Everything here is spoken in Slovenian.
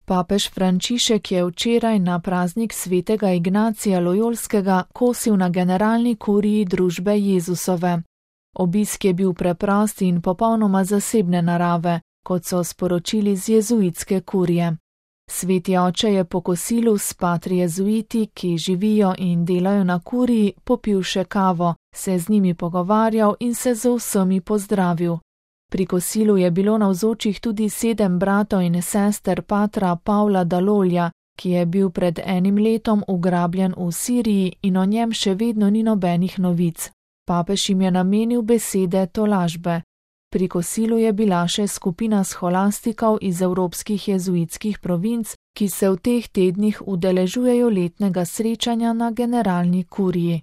Papež Frančišek je včeraj na praznik svetega Ignacija Lojolskega kosil na generalni kuriji družbe Jezusove. Obisk je bil preprost in popolnoma zasebne narave, kot so sporočili z jezuitske kurije. Sveti oče je po kosilu s patri jezuiti, ki živijo in delajo na kuriji, popil še kavo, se z njimi pogovarjal in se z vsemi pozdravil. Pri kosilu je bilo navzočih tudi 7 bratov in sester patra Pavla Dalolja, ki je bil pred enim letom ugrabljen v Siriji in o njem še vedno ni nobenih novic. Papež jim je namenil besede tolažbe. Pri kosilu je bila še skupina scholastikov iz evropskih jezuitskih provinc, ki se v teh tednih udeležujejo letnega srečanja na generalni kuriji.